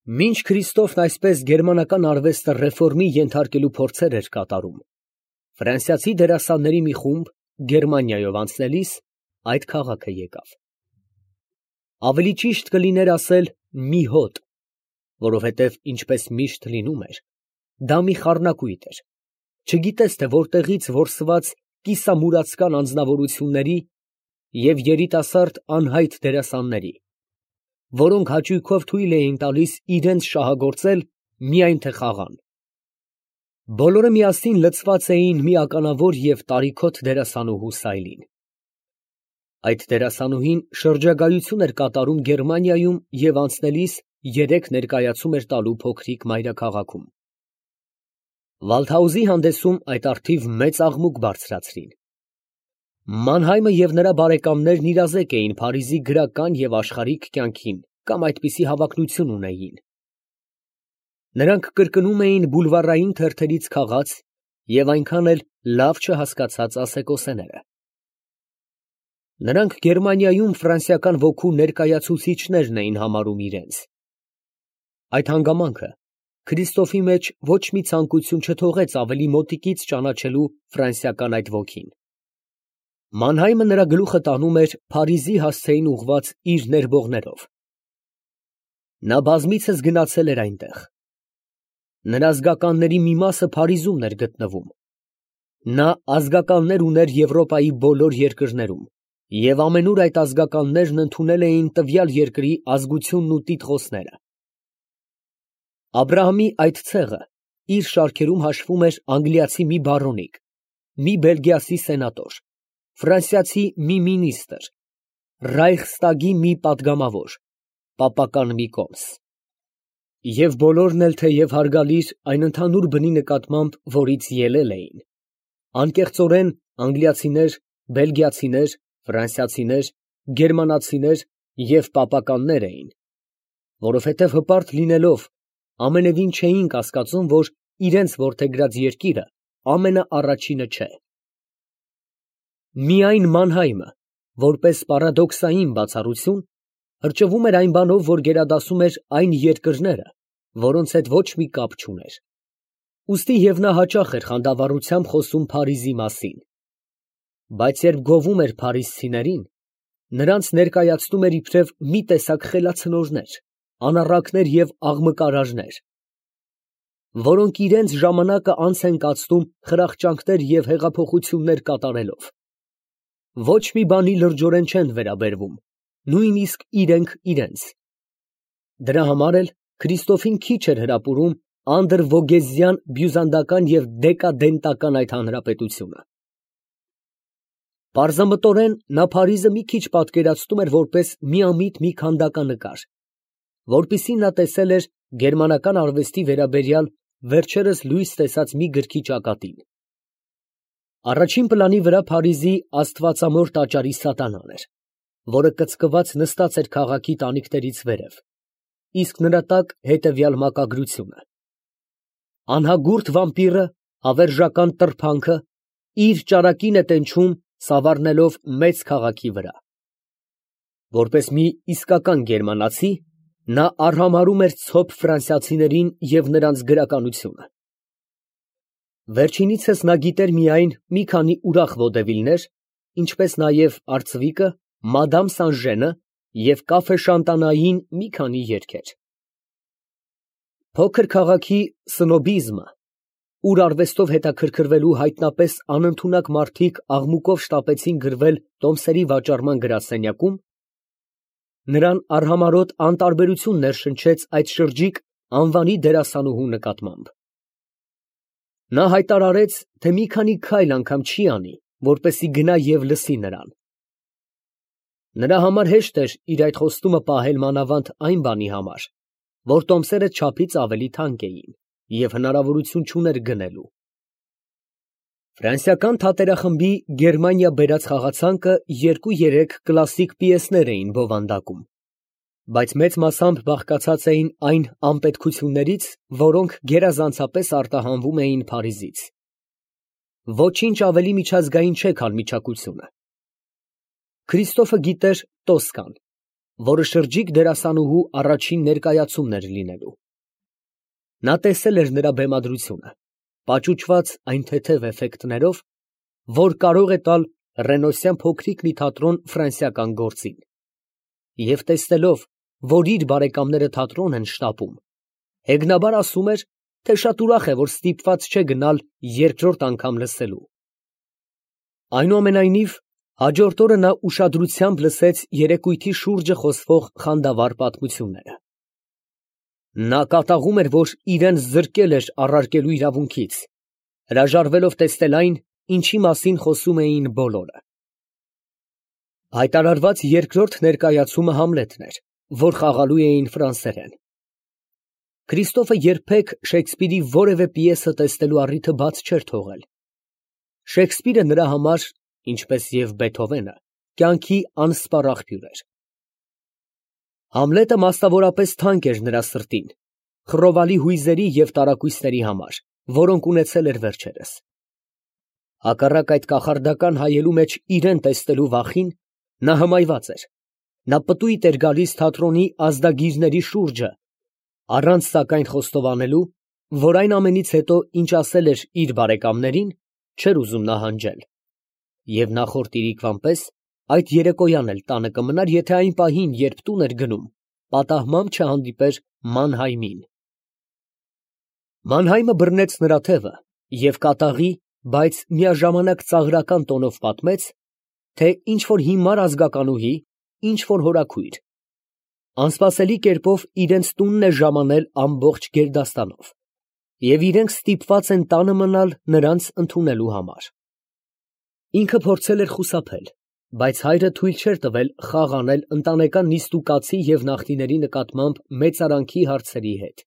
Մինչ Քրիստոֆն այսպես գերմանական արվեստը ռեֆորմի ենթարկելու փորձեր էր կատարում, ֆրանսիացի դերասանների մի խումբ Գերմանիայով անցնելիս այդ քաղաքը եկավ։ Ավելի ճիշտ կլիներ ասել մի հոտ, որովհետև ինչպես միշտ լինում էր, դա մի խառնակույտ էր, չգիտես թե որտեղից որսված կիսամուրացկան անձնավորությունների և երիտասարդ անհայտ դերասանների, որոնք հաճույքով թույլ էին տալիս իրենց շահագործել, միայն թե խաղան։ Բոլորը միասին լցված էին մի ականավոր և տարիքոտ դերասանուհու սայլին։ Այդ դերասանուհին շրջագայություն էր կատարում Գերմանիայում և անցնելիս 3 ներկայացում էր տալու փոքրիկ մայրաքաղաքում։ Վալդհաուզի հանդեսում այդ առթիվ մեծ աղմուկ բարձրացրին։ Մանհայմը և նրա բարեկամներն իրազեկ էին Փարիզի գրական և աշխարհիկ կյանքին կամ այդպիսի հավակնություն ունեին։ Նրանք կրկնում էին բուլվարային թերթերից քաղած և այնքան էլ լավ չհասկացած ասեկոսեները։ Նրանք Գերմանիայում ֆրանսիական ոգու ներկայացուցիչներն էին համարում իրենց։ Այդ հանգամանքը Քրիստոֆի մեջ ոչ մի ցանկություն չթողեց ավելի մոտիկից ճանաչելու ֆրանսիական այդ ոգին։ Մանհայմը նրա գլուխը տանում էր Փարիզի հասցեին ուղղված իր ներբողներով։ Նա բազմիցս գնացել էր այնտեղ։ Նրա զգականների մի մասը Փարիզումն էր գտնվում։ Նա ազգականներ ուներ Եվրոպայի բոլոր երկրներում, և ամենուր այդ ազգականներն ընդունել էին տվյալ երկրի ազգությունն ու տիտղոսները։ Աբրահամի այդ ցեղը իր շարքերում հաշվում էր անգլիացի մի բարոնիկ, մի բելգիացի սենատոր, ֆրանսիացի մի մինիստր, Ռայխստագի մի պատգամավոր, պապական մի կոմս։ Եվ բոլորն էլ թեև հարգալիր այն ընդհանուր բնի նկատմամբ, որից ելել էին, անկեղծորեն անգլիացիներ, բելգիացիներ, ֆրանսիացիներ, գերմանացիներ և պապականներ էին, որովհետև հպարտ լինելով ամենևին չէին կասկածում, որ իրենց որդեգրած երկիրը ամենաառաջինը չէ։ Միայն Մանհայմը, որպես պարադոքսային բացառություն, հրճվում էր այն բանով, որ գերադասում էր այն երկրները, որոնց հետ ոչ մի կապ չուներ։ Ուստի և նա հաճախ էր խանդավառությամբ խոսում Փարիզի մասին։ Բայց երբ գովում էր փարիզցիներին, նրանց ներկայացնում էր իբրև մի տեսակ խելացնորներ, անառակներ և աղմկարարներ, որոնք իրենց ժամանակը անց են կացնում խրախճանքներ և հեղափոխություններ կատարելով։ Ոչ մի բանի լրջորեն չեն վերաբերվում, նույնիսկ իրենք իրենց։ Դրա համար էլ Քրիստոֆին քիչ էր հրապուրում անդրվոգեզյան բյուզանդական և դեկադենտական այդ հանրապետությունը։ Պարզամտորեն նա Փարիզը մի քիչ պատկերացնում էր որպես միամիտ մի քանդականկար, որպիսին նա տեսել էր գերմանական արվեստի վերաբերյալ վերջերս լույս տեսած մի գրքի ճակատին։ Առաջին պլանի վրա Փարիզի աստվածամոր տաճարի սատանան էր, որը կծկված նստած էր քաղաքի տանիքներից վերև, իսկ նրա տակ հետևյալ մակագրությունը. «Անհագուրդ վամպիրը, հավերժական տրփանքը, իր ճարակին է տենչում, սավառնելով մեծ քաղաքի վրա»։ Որպես մի իսկական գերմանացի, նա արհամարհում էր ցոփ ֆրանսիացիներին և նրանց գրականությունը։ Վերջինիցս նա գիտեր միայն մի քանի ուրախ վոդևիլներ, ինչպես նաև արծվիկը, մադամ Սանժենը և կաֆե Շանտանային մի քանի երգեր։ Փոքր քաղաքի սնոբիզմը, ուր արվեստով հետաքրքրվելու հայտնապես անընդունակ մարդիկ աղմուկով շտապեցին գրվել տոմսերի վաճառման գրասենյակում, նրան արհամարհոտ անտարբերություն ներշնչեց այդ շրջիկ անվանի դերասանուհու նկատմամբ։ Նա հայտարարեց, թե մի քանի քայլ անգամ չի անի, որպեսզի գնա և լսի նրան։ Նրա համար հեշտ էր իր այդ խոստումը պահել մանավանդ այն բանի համար, որ տոմսերը չափից ավելի թանկ էին և հնարավորություն չուներ գնելու։ Ֆրանսիական թատերախմբի Գերմանիա բերած խաղացանկը 2-3 կլասիկ պիեսներ էին բովանդակում, բայց մեծ մասամբ բաղկացած էին այն անպետքություններից, որոնք գերազանցապես արտահանվում էին Փարիզից։ Ոչինչ ավելի միջազգային չէ, քան միչակությունը։ Քրիստոֆը գիտեր Տոսկան, որը շրջիկ դերասանուհու առաջին ներկայացումն էր լինելու։ Նա տեսել էր նրա բեմադրությունը, պաճուճված այն թեթև էֆեկտներով, որ կարող է տալ Ռենոսյան փոքրիկ մի թատրոն ֆրանսիական գործին, և տեսնելով, որ իր բարեկամները թատրոն են շտապում, հեգնաբար ասում էր, թե շատ ուրախ է, որ ստիպված չէ գնալ երկրորդ անգամ լսելու։ Այնուամենայնիվ, հաջորդ օրը նա ուշադրությամբ լսեց երեկույթի շուրջը խոսվող խանդավառ պատմությունները։ Նա կատաղում էր, որ իրան զրկել էր առարկելու իրավունքից, հրաժարվելով տեսնել այն, ինչի մասին խոսում էին բոլորը։ Հայտարարված երկրորդ ներկայացումը Համլետն էր, որ խաղալու էին ֆրանսերեն։ Քրիստոֆը երբեք Շեքսպիրի որևէ պիեսը տեսնելու առիթը բաց չէր թողել։ Շեքսպիրը նրա համար, ինչպես և Բեթհովենը, կյանքի անսպառ աղբյուր էր։ Համլետը մասնավորապես թանկ էր նրա սրտին, խռովալի հույզերի և տարակույսների համար, որոնք ունեցել էր վերջերս։ Հակառակ այդ կախարդական հայելու մեջ իրեն տեսնելու վախին, նա հմայված էր։ Նա պտույտ էր գալիս թատրոնի ազդագիրների շուրջը, առանց սակայն խոստովանելու, որ այն ամենից հետո, ինչ ասել էր իր բարեկամներին, չէր ուզում նահանջել, և նախորդ իրիկվան պես այդ երեկոյան էլ տանը կմնար, եթե այն պահին, երբ տուն էր գնում, պատահմամբ չհանդիպեր Մանհայմին։ Մանհայմը բռնեց նրա թևը և կատաղի, բայց միաժամանակ ծաղրական տոնով պատմեց, թե ինչ֊որ հիմար ազգականուհի, ինչ֊որ հորաքույր, անսպասելի կերպով իրենց տունն է ժամանել ամբողջ գերդաստանով, և իրենք ստիպված են տանը մնալ նրանց ընդունելու համար։ Ինքը փորձել էր խուսափել, բայց հայրը թույլ չէր տվել խաղ անել ընտանեկան նիստուկացի և նախնիների նկատմամբ մեծարանքի հարցերի հետ։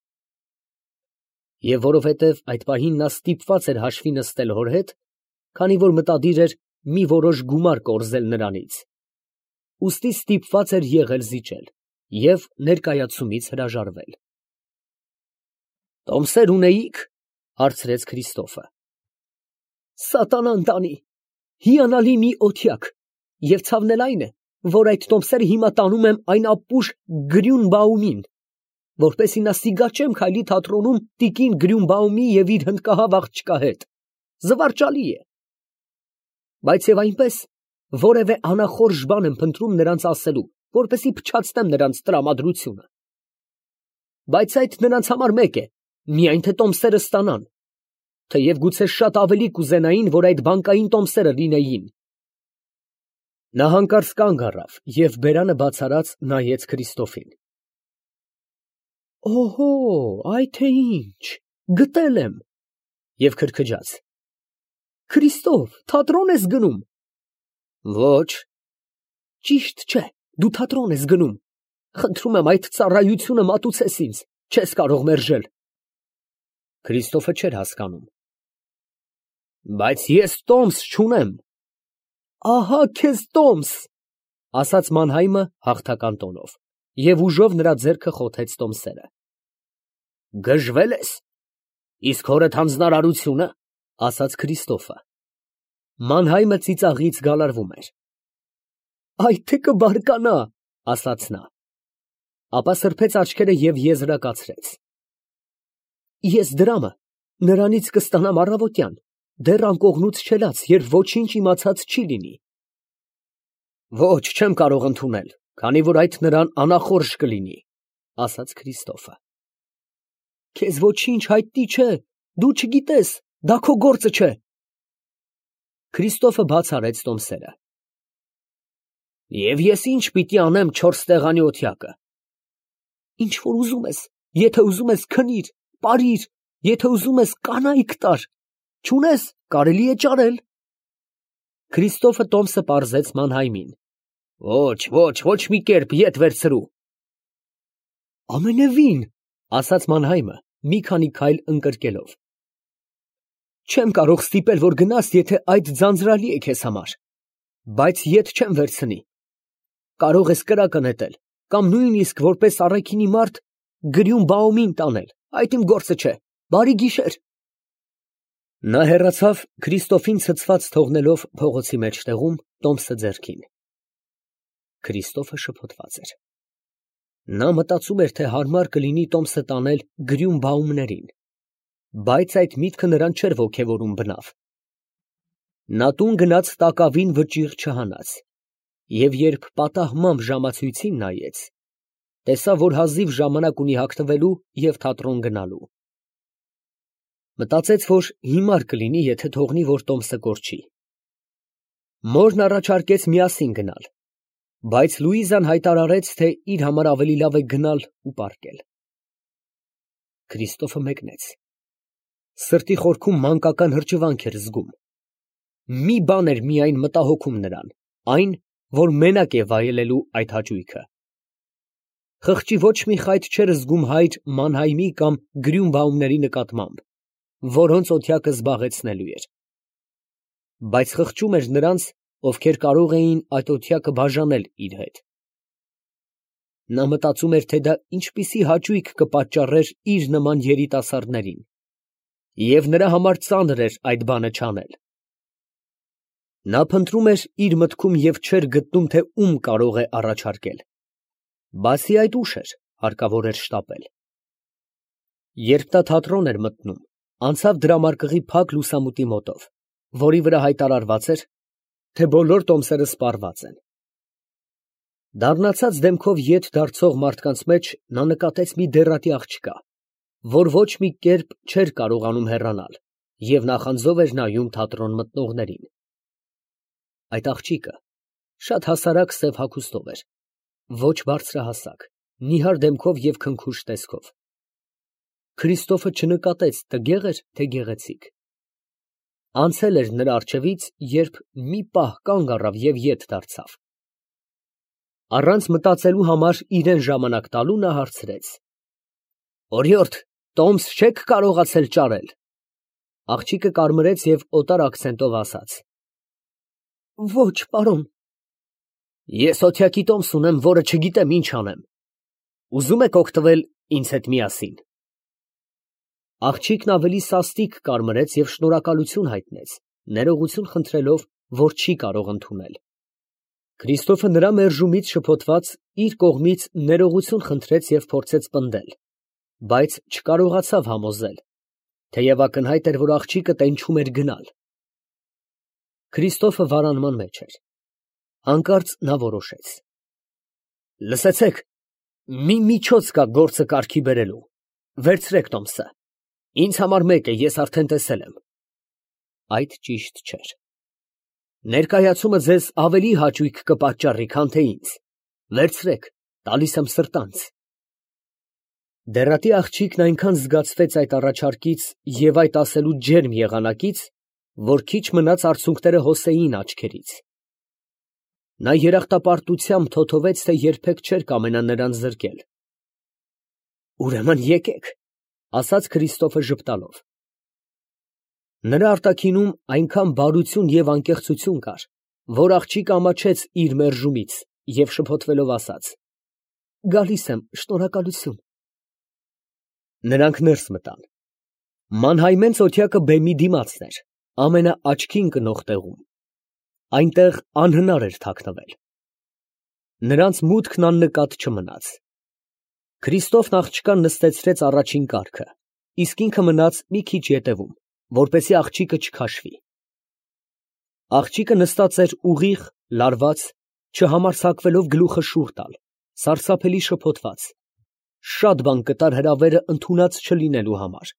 Եվ որովհետև այդ պահին նա ստիպված էր հաշվի նստել հոր հետ, քանի որ մտադիր էր մի որոշ գումար կորզել նրանից, ուստի ստիպված էր եղել զիջել և ներկայացումից հրաժարվել։ ֊ Տոմսեր ունեի՞ք, ֊ հարցրեց Քրիստոֆը։ ֊ Սատանան տանի, հիանալի մի օթյակ, և ցավն էլ այն է, որ այդ տոմսերը հիմա տանում եմ այն ապուշ Գրյունբաումին, որպեսզի նա սիգաչեմ քայլի թատրոնում տիկին Գրյունբաումի և իր հնդկահավ աղջկա հետ. զվարճալի է։ Բայց և այնպես, որևէ անախորժ բան եմ փնտրում նրանց ասելու, որպեսզի փչացնեմ նրանց տրամադրությունը։ Բայց այդ նրանց համար մեկ է, միայն թե տոմսերը ստանան, թեև գուցե շատ ավելի կուզենային, որ այդ բանկային տոմսերը լինեին։ Նա հանկարծ կանգ առավ և բերանը բաց արած նայեց Քրիստոֆին։ Օհո, այ թե ինչ, գտել եմ, և քրքջաց. Քրիստոֆ, թատրոն ես գնում։ Ոչ։ Ճիշտ չէ, դու թատրոն ես գնում։ Խնդրում եմ, այդ ծառայությունը մատուցես ինձ, չես կարող մերժել։ Քրիստոֆը չէր հասկանում։ Բայց ես տոմս չունեմ։ Ահա քեզ տոմս, ֊ ասաց Մանհայմը հաղթական տոնով, և ուժով նրա ձեռքը խոթեց տոմսերը։ Գժվել ես, իսկ հորդ հանձնարարությունը, ֊ ասաց Քրիստոֆը։ Մանհայմը ծիծաղից գալարվում էր։ Այդ թե կբարկանա, ֊ ասաց նա, ապա սրբեց աչքերը և եզրակացրեց. Ես դրամը նրանից կստանամ առավոտյան, դեռ անկողնուց չելած, երբ ոչինչ իմացած չի լինի։ Ոչ, չեմ կարող ընդունել, քանի որ այդ նրան անախորժ կլինի, ֊ ասաց Քրիստոֆը։ Քեզ ոչինչ հայտնի չէ, դու չգիտես, դա քո գործը չէ։ Քրիստոֆը բաց արեց տոմսերը։ Եվ ես ինչ պիտի անեմ 4 տեղանի օթյակը։ Ինչ որ ուզում ես, եթե ուզում ես քնիր, պարիր, եթե ուզում ես կանայք տար, չունես, կարելի է ճարել։ Քրիստոֆը տոմսը պարզեց Մանհայմին։ Ոչ, ոչ մի կերպ ետ վերցրու։ Ամենևին, ֊ ասաց Մանհայմը, մի քանի քայլ ընկրկելով։ Չեմ կարող ստիպել, որ գնաս, եթե այդ ձանձրալի է քեզ համար, բայց ետ չեմ վերցնի։ Կարող ես կրակը նետել, կամ նույնիսկ որպես առաքինի մարդ Գրյունբաումին տանել, այդ իմ գործը չէ։ Բարի գիշեր։ Նա հեռացավ, Քրիստոֆին ցցված թողնելով փողոցի մեջտեղում, տոմսը ձեռքին։ Քրիստոֆը շփոթված էր։ Նա մտածում էր, թե հարմար կլինի տոմսը տանել գրյուն բաումներին, բայց այդ միտքը նրան չէր ոգևորում բնավ։ Նա տուն գնաց տակավին վճիռ չհանած, և երբ պատահմամբ ժամացույցին նայեց, տեսավ, որ հազիվ ժամանակ ունի հագնվելու և թատրոն գնալու։ Մտածեց, որ հիմար կլինի, եթե թողնի, որ տոմսը կորչի։ Մորն առաջարկեց միասին գնալ, բայց Լուիզան հայտարարեց, թե իր համար ավելի լավ է գնալ ու պառկել։ Քրիստոֆը մեկնեց։ Սրտի խորքում մանկական հրճվանք էր զգում։ Մի բան էր միայն մտահոգում նրան, այն, որ մենակ է վայելելու այդ հաճույքը։ Խղճի ոչ մի խայտ չէր զգում հայր Մանհայմի կամ Գրյունբաումների նկատմամբ, որոնց օթյակը զբաղեցնելու էր։ Բայց խղճում էր նրանց, ովքեր կարող էին այդ օթյակը բաժանել իր հետ։ Նա մտածում էր, թե դա ինչպիսի հաճույք կպատճառեր իր նման երիտասարդներին, և նրա համար ծանր էր այդ բանը չանել։ Նա փնտրում էր իր մտքում և չէր գտնում, թե ում կարող է առաջարկել։ Բացի այդ, ուշ էր, հարկավոր էր շտապել։ Երբ նա թատրոն էր մտնում, անցավ դրամարկղի փակ լուսամուտի մոտով, որի վրա հայտարարված էր, թե բոլոր տոմսերը սպառված են։ Դառնացած դեմքով ետ դարձող մարդկանց մեջ նա նկատեց մի դեռատի աղջկա, որ ոչ մի կերպ չէր կարողանում հեռանալ և նախանձով էր նայում թատրոն մտնողներին։ Այդ աղջիկը շատ հասարակ սև հագուստով էր, ոչ բարձրահասակ, նիհար դեմքով և քնքուշ տեսքով։ Քրիստոֆը չնկատեց տգեղ էր, թե գեղեցիկ։ Անցել էր նրա առջևից, երբ մի պահ կանգ առավ և ետ դարձավ։ Առանց մտածելու համար իրան ժամանակ տալու, նա հարցրեց. «Օրիորդ, տոմս չե՞ք կարողացել ճարել»։ Աղջիկը կարմրեց և օտար ակցենտով ասաց. «Ոչ, պարոն»։ Ես օթյակի տոմս ունեմ, որը չգիտեմ ինչ անեմ։ Ուզում եք օգտվել ինձ հետ միասին։ Աղջիկն ավելի սաստիկ կարմրեց և շնորհակալություն հայտնեց, ներողություն խնդրելով, որ չի կարող ընդունել։ Քրիստոֆը նրա մերժումից շփոթված իր կողմից ներողություն խնդրեց և փորձեց պնդել, բայց չկարողացավ համոզել, թեև ակնհայտ էր, որ աղջիկը տենչում էր գնալ։ Քրիստոֆը վարանման մեջ էր։ Հանկարծ նա որոշեց. «Լսեցեք, մի միջոց կա գործը կարգի բերելու, վերցրեք տոմսը, ինձ համար մեկ է, ես արդեն տեսել եմ»։ Այդ ճիշտ չէր։ «Ներկայացումը ձեզ ավելի հաճույք կպատճառի, քան թե ինձ, վերցրեք, տալիս եմ սրտանց»։ Դեռատի աղջիկն այնքան զգացվեց այդ առաջարկից և այդ ասելու ջերմ եղանակից, որ քիչ մնաց արցունքները հոսեին աչքերից։ Նա երախտապարտությամբ թոթովեց, թե երբեք չէր կամենա նրան զրկել։ «Ուրեմն եկեք», ֊ ասաց Քրիստոֆը ժպտալով։ Նրա արտաքինում այնքան բարություն և անկեղծություն կար, որ աղջիկը ամաչեց իր մերժումից և շփոթվելով ասաց. «Գալիս եմ, շնորհակալություն»։ Նրանք ներս մտան։ Մանհայմենց օթյակը բեմի դիմացն էր, ամենաաչքին ընկնող տեղում։ Այնտեղ անհնար էր թաքնվել։ Նրանց մուտքն աննկատ չմնաց։ Քրիստոֆն աղջկան նստեցրեց առաջին կառքը, իսկ ինքը մնաց մի քիչ ետևում, որպեսզի աղջիկը չքաշվի։ Աղջիկը նստած էր ուղիղ, լարված, չհամարձակվելով գլուխը շուռ տալ, սարսափելի շփոթված, շատ բան կտար հրավերը ընդունած չլինելու համար։